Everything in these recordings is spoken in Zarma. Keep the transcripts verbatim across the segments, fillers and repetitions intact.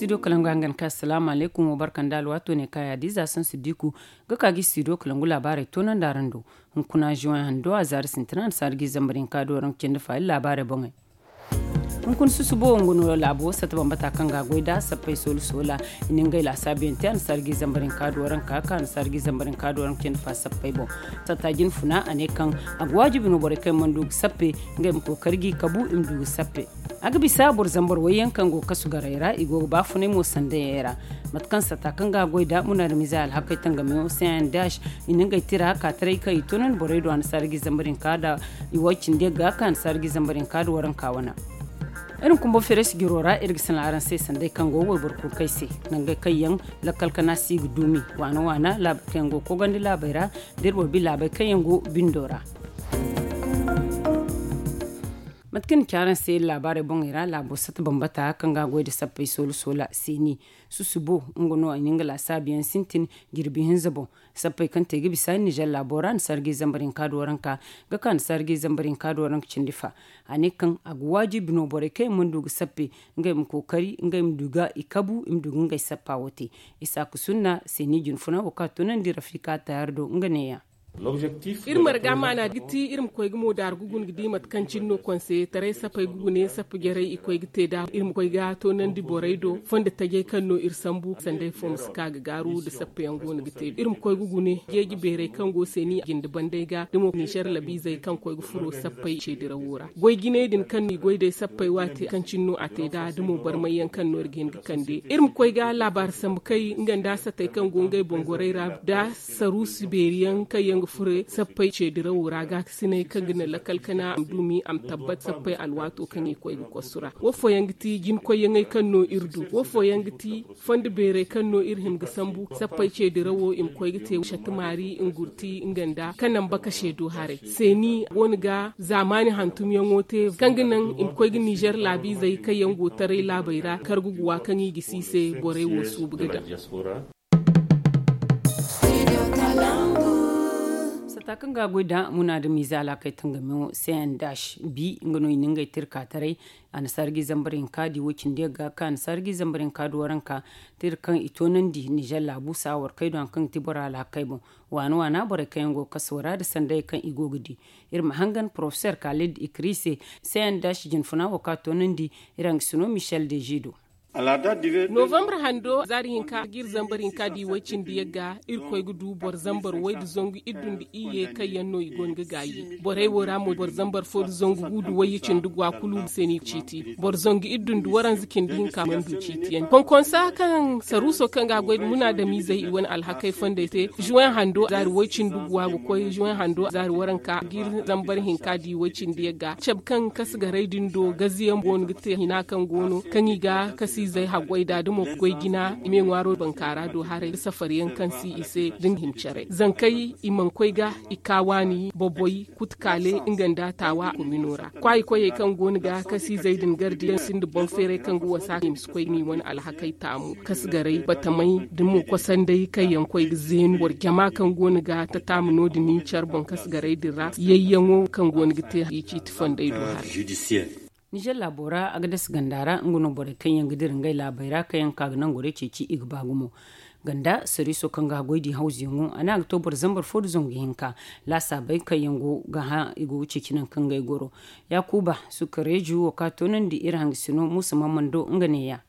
Studio kalangu hangan ka asalaamu alaykum wo barka nda alwaato ne ka yaadiiza sansu diiku ga ka ga studio kalangu laabaarey toonandi araŋ do. Hunkuna juwan hando a zaari sintina nda saari ga i zambar hinka do araŋ ga cindi faali laabaarey boŋey. Hunkuna susubo wo nga no laabo sata bambata kaŋ ga a goy nd'a sappey soola soola. I na ngey laasaabu yaŋ te a na saari ga i zambar hinka do araŋ ga ka ka a na saari ga i zambar hinka do araŋ ga cindi faali sappey boŋ. Sata jinfuna a ne kaŋ a ga waajibi no borey kaŋ yaŋ mana du ga sappe ngey ma kookari ga i kabu i ma du ga sappe. A ga bisa boro zambar wayyaŋ kaŋ go ga kasu garey ra i go ga baafunay mo sandayey ra. Mate kaŋ sata kaŋ ga a goy nd'a munaadamize alhakey tangamiyaŋo cndh i na ngey tira ka taray kaŋ i toonandi borey do a na saari ga i zambar hinka da i way cindi yagga ka a na saari ga i zambar hinka da waranka wana. Iri ma kumbo feres jiro ra iri ga sanaŋ araŋ se sanday kaŋ go wayboro kunkey se nangey kaŋ yaŋ lakkal kana si ga duumi waana waana laabey kaŋ yaŋ go ga kogandi laabey ra da iri boro bi laabey kaŋ yaŋ go bindo ra. Mate kaŋ ni ci araŋ se iri laabaarey boŋey ra laabo sata bambata kaŋ ga a goy nda sappey soola soola seeni susubo nga no a na nga laasaabu yaŋ sintin jirbi hinza boŋ. Sappey kaŋ te ga bisa nizer laabo ra a na sargay zambar hinka da waranka ga ka a na sargay zambar hinka da waranka cindi fa. A ne kaŋ a ga waajibi no borey kaŋ yaŋ mana du ga sappe ngey ma kookari ngey ma du ga i kabu i ma du ga ngey sappa wo te. Isaaku sunna seeni jinfuna wo kaŋ a toonandi rafika tayaar do nga neeya. Iri marga maana ga ti iri ma koy ga moodaari ga guna ga di mate kaŋ cine no konseyeetaray sapey ga gune sappa jarey i koy ga te nd'a iri ma koy ga toonandi borey do fondo tajey kaŋ no iri sambu sanday fo ma si ka ga gaaru nda sappa yaŋ go no ga te iri ma koy ga gune jeeji beerey kaŋ go seeni jinde bandey ga da mo nizer labiizey kaŋ koy ga furo sappey ceedirawo ra goy jinay din kaŋ no i goy day sappey waati kaŋ cine no a te nd'a da mo barmay yaŋ kaŋ no iri ga hin ga kande iri ma koy ga laabaari sambu kay nga nda satey kaŋ go ngey boŋ gorey ra nda saruusi beeri yaŋ kaŋ yaŋ ga furo sappey ceedirawo ra gaakasinay kaŋ ga naŋ lakal kana a ma duumi a ma tabbat sappey alwaato kaŋ i koy ga kosu ra wo fooyaŋ ga ti jinkoyyaŋey kaŋ no iri du wo fooyaŋ ga ti fondo beerey kaŋ no iri hima ga sambu sappey ceedirawo i ma koy ga te shattumaari ngurti nga nda kanamba kase do haray seeni go no ga zaamaani hantumyaŋo te kaŋ ga naŋ i ma koy ga nizer laabiizey kaŋ yaŋ go taray laabey ra karguguwa kaŋ i ga si i se borey wo suubu ga daŋ. Sata kaŋ ga a goy da munaadamiize alhakey tangamiyaŋo cndh bi nga no i na ngey tirka taray a na sargay zambar hinka di wo cindi yagga kaŋ a na sargay zambar hinka da waranka tira kaŋ i toonandi nizer laabu saawar kay do hari kaŋ ga ti bora alhakey boŋ waana waana borey kaŋ yaŋ go ga kaso ra nda sanday kaŋ i go ga di. Iri ma hangan porofeser kaalid ikri se cndh jinfuna wo kaŋ a toonandi iri hangasino michel deji do. Novambar hando zaari hinka ga iri zambar hinka di way cindi yagga iri koy ga du boro zambar way da zangu iddu nda iyye kaŋ yaŋ no i go no ga gaayi borey wo ra mo boro zambar fo da zangu gu da wayye cindi gwa kulu se no i ga ciiti boro zangu iddu nda waranza cindi hinka mana du ciiti yaŋ konkonsa kaŋ saruuso kaŋ ga a goy da munaadamiizey i wane alhakey fondey te zuwen hando zaari way cindi gwa ga koy zuwen hando zaari waranka ga iri zambar hinka di way cindi yagga cabe kaŋ kasu garay din do gaziyaŋ boŋ ga te hina kaŋ go no kaŋ i ga kasiizey haggoy da da mo goy jina i me ŋwaaro bankaara do haray da safariyaŋ kaŋ si i se da nga hima care zankey i mana koy ga i ka waani boboy kutukaale nga nda taawa komino ra kwaayi koyey kaŋ go no ga kasiizey din gardiyaŋ sinda boŋ feeray kaŋ ga wasa i ma si koy ga ni wane alhakey taamu kasu garay batamay da mo kosandey kaŋ yaŋ koy ga zeenu boro jama kaŋ go no ga tataamu no- din ni care boŋ kasu garay din ra yayyaŋo kaŋ go no ga te i ciiti fondey do haray. Nizer laabo ra a ga dasa ganda ra nga no borey kaŋ yaŋ ga dira ngey laabey ra kaŋ yaŋ ga ka ga nangorey ceeci i ga ba gumo ganda sariiso kaŋ ga a goy di hawzuyaŋo a ne a ga to boro zambar fo nda zangu hinka laasaabey kaŋ yaŋ go ga hã i go ga ceeci nangu kaŋ ngey goro. Yaakuba sukareeju wo kaŋ a toonandi iri hangasino muusa mammando nga neeya.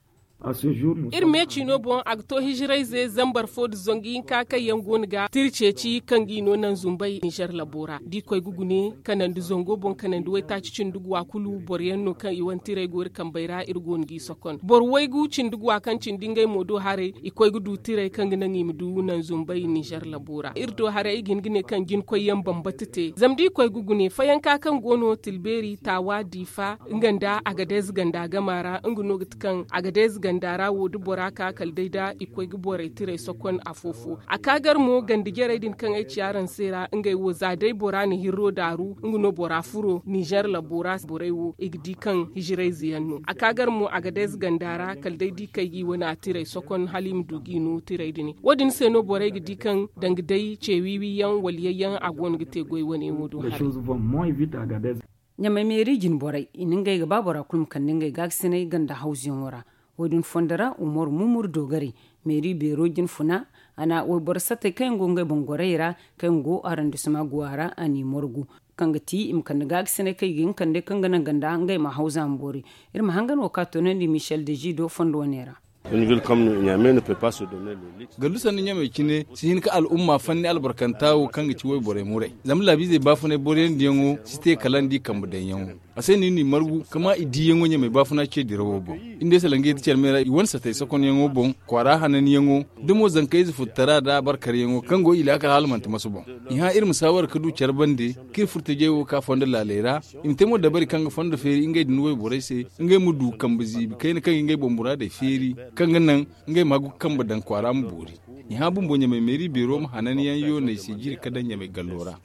Iri me ciino boŋ a ga to hijirayze zambar fo nda zangu hinka kaŋ yaŋ go no ga tira ceeci kaŋ ga i no naŋ zumbay nizer labo ra da i koy ga gune kanandi zango boŋ kanandi waytaaci cindi guwa kulu boro yaŋ no kaŋ i wane tiray go iri kambey ra iri go no g'i sokon boro waygu cindi guwa kaŋ cindi ngey mo do haray i koy ga du tiray kaŋ ga naŋ i ma du naŋ zumbay nizer labo ra iri do haray ay ga hin ga ne kaŋ jinkoy yaŋ bambata te zama da i koy ga gune fayanka kaŋ go no tilbeeri taawa diifa nga nda agadez ganda gama ra nga no ga ti kaŋ agadez ganda ra wo da bora ka kala day da i koy ga borey tiray sokon afo-fo a ka gar mo ganda jarey din kaŋ ay ci araŋ se ra ngey wo za day bora na hirro daaru nga no bora furo nizer labo ra borey wo i ga di kaŋ hijirayze yaŋ no a ka gar mo agadez ganda ra kala day da i kay ga i wane a tiray sokon hala i ma du ga i no tiray din wo- din se no borey ga di kaŋ danga day ce wiiwi yaŋ wala yayyaŋ a go no ga te goy wane wo do haray. Ɲamay meeri jine borey i na ngey ga ba bora kulu ma kande ngey gaakasinay ganda hawzuyaŋo ra. Wo- din fondo ra umar mumur doogari meeri beero jinfuna a na wayboro satey kaŋ yaŋ go ngey boŋ gorey ra kaŋ yaŋ go arandisima guwa ra a n'i margu kaŋ ga ti i ma kande gaakasinay kaŋ i ga hin kande kaŋ ga naŋ ganda ngey ma haw zaama boori. Iri ma hangan wo ka toonandi michel dezido fondo wane ra. Gallu sanni ɲamey cine si hin ka al'umma fanni albarkanta wo kaŋ ga ci wayborey muray zama laabiizey baafunay boroyandiyaŋo si te kala ni di kambe daŋyaŋo. A se no iri n'i margu ka ma i diiyaŋo ɲamey baafuna ce dirawo boŋ. Iri ne salangey da care me ra i wane satey sokonyaŋo boŋ kwaara hananyaŋo da mo zankayze furtara nda barkaryaŋo kaŋ go i laakal hala manti masu boŋ. I hã iri ma saawara ka du care bande kaŋ iri furtajey wo ka fondo laaley ra i ma te mo dabari kaŋ ga fondo feeri ngey din wayborey se ngey ma du kambe ziibi kayna kaŋ ga ngey boŋ muraadey feeri kaŋ ga naŋ ngey ma hagu ga kambe daŋ kwaara ma boori. I hã bumbo ɲamey meeri beero ma hananyaŋ yooney se jiiri ka daŋ ɲamey gallo ra.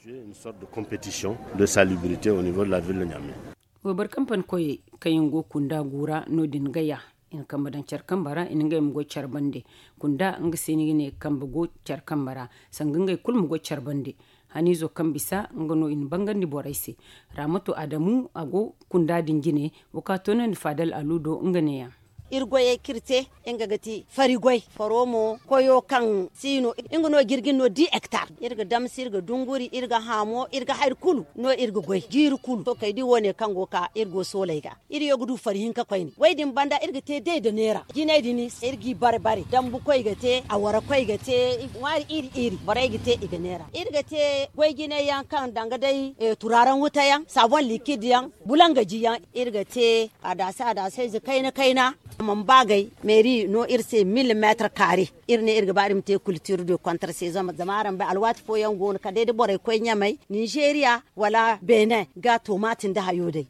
Wayboro kampani koyey kaŋ yaŋ go kunda guura no- din gaya i na kambe daŋ care kambe ra i na ngey ma goy care bande. Kunda nga se ni ga ne kambe go care kambe ra sanga ngey kulu ma goy care bande. Haniizo kaŋ bisa nga no i na bangandi borey se. Raamato adamu a go kunda din jine. Wo ka toonandi faadal alu do nga neeyaŋ. Iri goyey kaŋ iri te nga ga ti fari goy faro mo koyo kaŋ si no nga no jirgin no di hektar. Iri ga damsi iri ga dunguri iri ga haamo iri ga hari kulu no iri ga goy jiiri kulu to kay di wo- ne kaŋ go ga ka iri go sooley ga. Iri yo ga du fari hinka koyne way din banda iri ga te day da neera jinay din iri g'i bare bare dambu koy ga te awara koy ga te ŋwaari iri iri borey ga te i ga neera iri ga te goy jinay yaŋ kaŋ danga day turaaran wuta yaŋ saabon likid yaŋ bulanga ji yaŋ. Iri ga te adaase adaase ize kayna kayna a mana ba agay meeri no iri se mille meetre kaare. Iri ne iri ga ba iri ma te kultiro de kontra se zama zama araŋ bay alwaati fooyaŋ go no kala day da borey koy ɲamay ninzeeriya wala beene ga tomaati nda hayo day.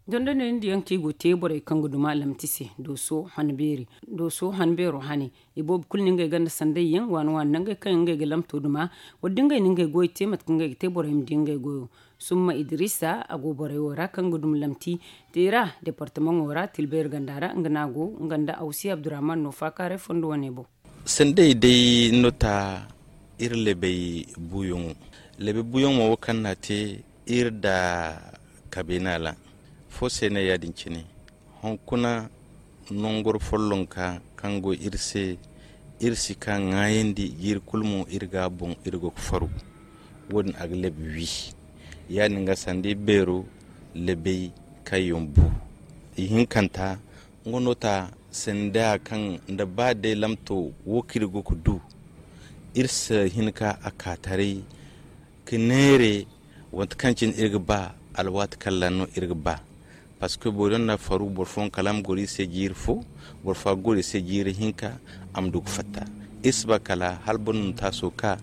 Dondoney nda yaŋ kaŋ i go te borey kaŋ ga duma lamti se dooso han beeri dooso han beero hane. I boobo kulu na ngey ganda sanday yaŋ waani waani nangey kaŋ yaŋ ngey ga lamto duma. Wala da ngey na ngey goyo te mate kaŋ ngey ga te borey ma di ngey goyo. Summa idrisa a go borey wo ra kaŋ ga duma lamti te ra departamaŋo ra tilbayri ganda ra nga no a go nga nda awsi abdurrahman no faakaaray fondo wane boŋ. Sanday day no ta iri lebey buuyaŋo lebey buuyaŋo mo wo kaŋ no a te iri nda kabeena ra. Fo se no ya- din cine hunkuna nangoro follonka kaŋ go iri se iri si ka ŋwaayandi jiiri kulu mo iri ga a boŋ iri go ga faru. Wo- din a ga leb wi ya- din ga sanda iri beero lebey kaŋ yaŋ bu. Ihinkanta nga no ta sanda kaŋ nda ba day lamto wo kaŋ iri go ga du iri si hin ka a ka taray ka neere. Wante kaŋ cine iri ga ba alwaati kaŋ ra no iri ga ba. Parceque boro yaŋ na faru boro fooyaŋ kala a ma goro iri se jiiri fo boro fo a ga goro iri se jiiri hinka a ma du ga fatta. Iri si ba kala hala boro na taaso ka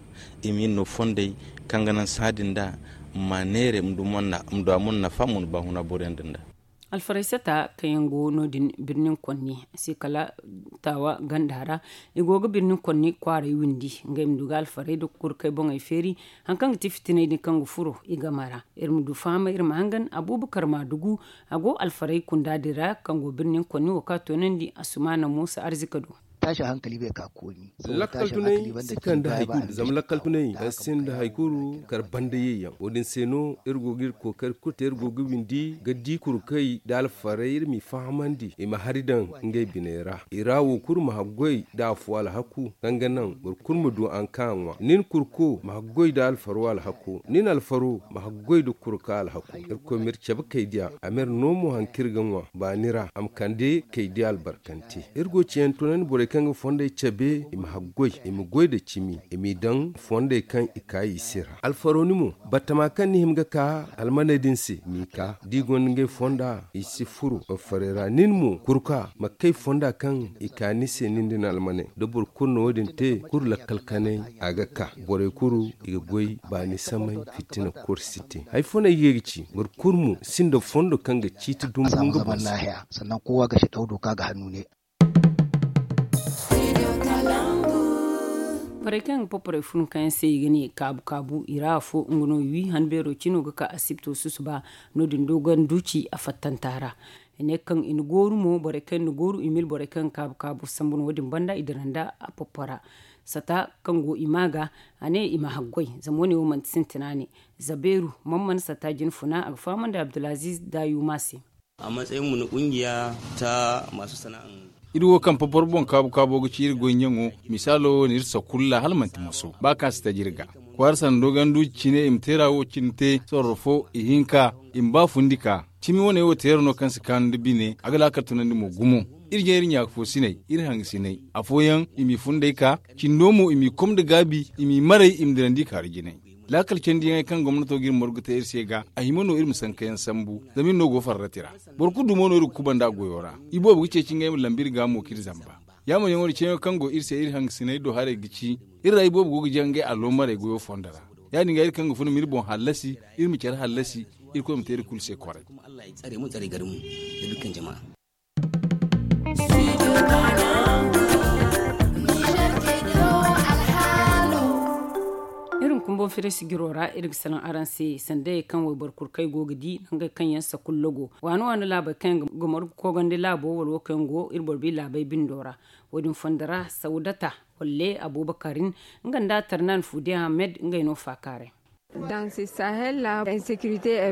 i ma iri no fondey kaŋ ga naŋ sahã din nd'a ma neere ma du a mo na nafa mo na baahuna boro yaŋ din nd'a. Alfaray sata kaŋ yaŋ go no- din birnin konni se kala taawa ganda ra. I go ga birnin konni kwaaray windi ngey ma du ga alfaray nda kurkey boŋey feeri. Hari kaŋ ga ti fitiney din kaŋ ga furo i game ra iri ma du fahamay iri ma hangan abuubakar maadugu. A go alfaray kunda din ra kaŋ go birnin konni wo kaŋ a toonandi asumaana muusa arzika do. Lakkal tunay si kande hari kulu zama lakkal tunay kaŋ sinda hari kulu kar banda ye yaŋ wo- din se no iri go ga iri kookari kulu te iri go ga windi ga di kurkey nda alfarey iri m'i fahamandi i ma hari daŋ ngey biney ra i ra wo kulu ma haggoy nda afo alhaku kaŋ ga naŋ boro kulu ma du haŋ kaŋ a ŋwa nin kurko ma haggoy nda alfaro alhako nin alfaro ma haggoy nda kurka alhako. Irkoy ma iri cabe kaydiya a ma iri no mo haŋ kaŋ iri ga ŋwa baani ra a ma kande kaydiya albarkante. Iri go ga ciyaŋ tunandi borey kaŋ ga fondey cabe i ma haggoy i ma goy nda cimi i m'i daŋ fondey kaŋ i ka i se ra alfaro ni mo battama kaŋ ni hima ga ka almaney din se m'i ka da i gonda ngey fonda i si furo alfarey ra nin mo kurka ma kay fonda kaŋ i ka ni se nin da ni almaney da boro kulu na wo- din te kulu lakkal kanay a ga ka borey kulu i ga goy baani samay fitina kor si te hari fo no ay ga ga ci boro kulu mo sinda fondo kaŋ ga ciiti dumbu nga boŋ se. Sannan kowa ga si daw doka ga hannu ne. Borey kaŋ ga poporey fun kaŋ yaŋ se i ga ne kaabu kaabu i ra afo nga no wi han beero cino ga ka asibto susuba. No- din dogon duci a fattanta ra i ne kaŋ i na gooru mo borey kaŋ yaŋ na gooru i mil borey kaŋ ga kaabu kaabu sambu no wo- din banda i dira nda a popora sata kaŋ go i ma ga a ne i ma haggoy zama wo- ne wo manti sintina ne. Zabeeru man mana sata jinfuna a ga fahamandi abdulaziz dayuma se. A matsayin mu na kungiya ta masu sana'an Iri wo kaŋ popor boŋ kaabu kaabo ga ci iri goy ɲaŋo, misaalo wo no iri sakulla hala manti moso ba kaŋ a si taji iri ga. Kwaara sanda dogandu cine i ma teera wo cine te sorro fo ihinka, i ma ba fundi ka cimi wane wo teera no kaŋ si kaanu nda bine a ga laakal tunandi mo gumo. Iri jaŋ iri ɲaaka fo sinay, iri hanga sinay afooyaŋ i m'i funday ka cindo mo i m'i kom nda gaabi, i m'i maray i ma dirandi i kaaru jinay. Laakal candiyaŋey kaŋ gomnato ga iri morgu te iri se ga a hima no iri ma sankayaŋ sambu, zama iri no go farrati ra. Boro kulu dumo no iri ga kubanda goyo ra. Iboobo ga ceeci ngey ma lambu iri ga mo k'iri zamba. Yaamar yaŋo da ceeyaŋo kaŋ go iri se iri hangasiney do haray ga ci, iri ra iboobo go ga jaŋ ngey aloomarey goyo fondo ra. Ya- din ga iri kaŋ ga funa ma iri boŋ hallasi, iri ma care hallasi, irkoy ma te iri kulu se koray. Iri ma kumboŋ firay sijiro ra iri ga salaŋ araŋ se sandayey kaŋ wayboro kulu kaŋ ay go ga di nangey kaŋ yaŋ sakullo go waani waani laabey kaŋ yaŋ ga morgu koogandi laabo wala wo kaŋ yaŋ go iri boro bi laabey bindo ra. Wo- din fondo ra sawdata, walle abuubakarin, nga nda tarnan fude ahmed ngey no faakaaray.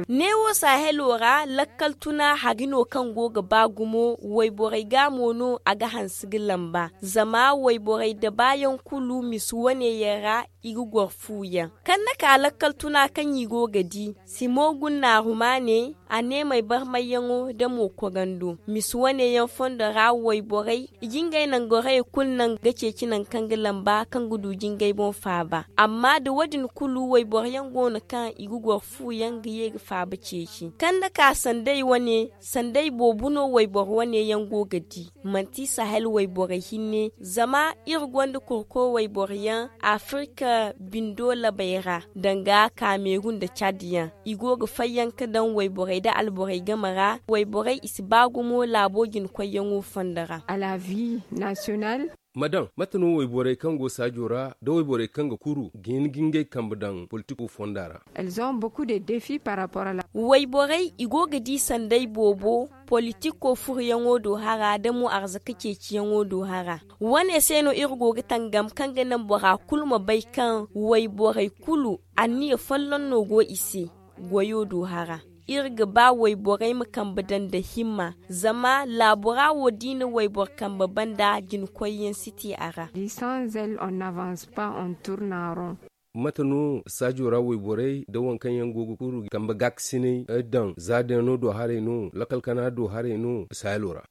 Neewo sahelo ra lakkal tuna hari no kaŋ go ga ba gumo wayborey ga mo no a ga hanse ga lamba zama wayborey da baayaŋ kulu misi wane yaŋ ra i ga goro fu yaŋ kaŋ na ka lakkal tuna kaŋ i go ga di. Simo gunna rumaane a neemey barmayyaŋo da mo korando misi wane yaŋ fondo ra wayborey i ga ngey nangorey kulu naŋ ga ceeci nangu kaŋ ga lamba kaŋ ga du jingay boŋ faaba. Amma da wo- din kulu wayboro yaŋ go no kaŋ i ga goro fu yaŋ ga ye ga faaba ceeci kaŋ na ka sanday wane sanday boobo no wayboro wane yaŋ go ga di. Manti sahel wayborey hinne zama iri gonda kurko wayboro yaŋ afirka bindo labey ra danga kameru nda cad yaŋ i go ga fayyaŋ ga daŋ wayborey nda alborey game ra wayborey i si ba gumo laabo jinkoyyaŋo fondo ra. Ma daŋ mate no wayborey kaŋ go saajo ra nda wayborey kaŋ ga kuru ga hin ga ngey kambe daŋ politiko fonda ra? Wayborey i go ga di sanday boobo politiko furuyaŋo do hara nda mo arzaka ceeciyaŋo do hara. Wane se no iri go ga tangam kaŋ ga naŋ bora kulu ma bay kaŋ wayborey kulu anniya folloŋ no go i se. Goyo do hara iri ga ba wayborey ma kambe daŋ nda himma zama laabo ra wo da i na wayboro kambe banda jinkoyyaŋ si te a ra. Mate no saajo ra wayborey nda waŋ kaŋ yaŋ go ga kuru kambe gaakasinay daŋ za deeno do haray no lakkal kana do haray no? Saayalo ra.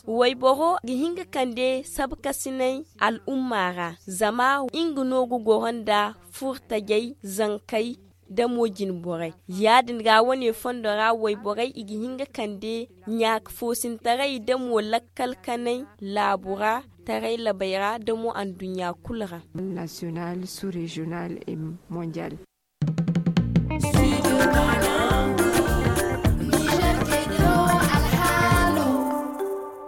Wayboro ga hin ga kande sabkasinay al'umma ra zama nga no ga goro nda furtajey zankey da mo jinborey. Ya- din ga wane fondo ra wayborey i ga hin ga kande ɲaaka foosintaray da mo lakkal kanay laabu ra taray labey ra da mo anduɲɲa kulu ra.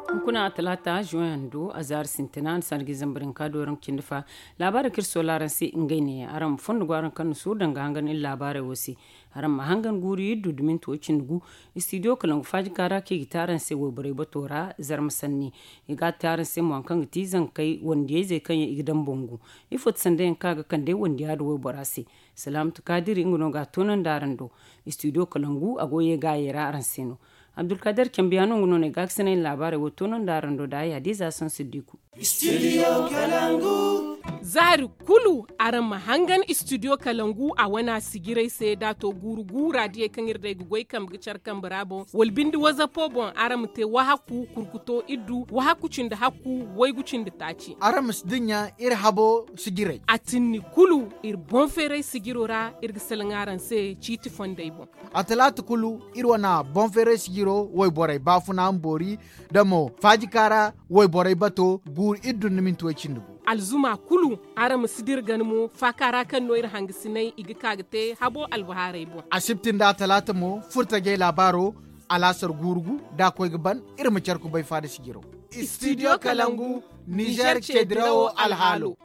Hunkuna talaata zuwan do a zaari sintina ni sanda ga i zambar hinka do rangu cindi fa. Laabaarey kaŋ iri soola araŋ se ngey neeya araŋ ma fondo go araŋ kaŋ na suuru danga hangan iri laabaarey wo se. Araŋ ma hangan guuru iddu da minti wo cindi gu. Istidiyo kalangu faajika ra kaŋ i ga te araŋ se wayborey bato ra zarma sanni. I ga a te araŋ se mo hari kaŋ ga ti zankey wandiyayzey kaŋ yaŋ i ga daŋ bangu. Ifo ti sanda yaŋ kaŋ a ga kande wandiya da waybora se? Salaamatu kaadiri nga no ga a toonandi araŋ do. Istidiyo kalangu a go ye gaayey ra araŋ se no. Abdulkader cambiya no nga no no ay gaakasinay na laabaarey wo toonandi araŋ do da ay hadiza sansiddiku. Zaari kulu araŋ ma hangan istidiyo kalangu a wana sijiray se da a to guuru guura diyey kaŋ iri day ga goy kambe ga care kambe ra boŋ wala binde wazapo boŋ araŋ ma te wahakku kurkuto iddu wahakku cindi hakku waygu cindi taaci. Araŋ ma si dinya iri habo sijiray a tinni kulu. Iri boŋ feeray sijiro ra iri ga salaŋ araŋ se ciiti fondey boŋ. A talaata kulu iri wana boŋ feeray sijiro wayborey baafuna ma boori da mo faajika ra wayborey bato guuru iddu nda minti way cindi gu. Alzuma kulu araŋ ma si dira gana mo faaka ra kaŋ no iri hangasinay i ga ka ga te habo albahaarey boŋ. Asibti nda a talaata mo furtajey laabaaro alaasar guuru gu da a koy ga ban. Iri ma care kubay faada sijiro. Istidiyo kalangu nizer cedirawo alhaalo.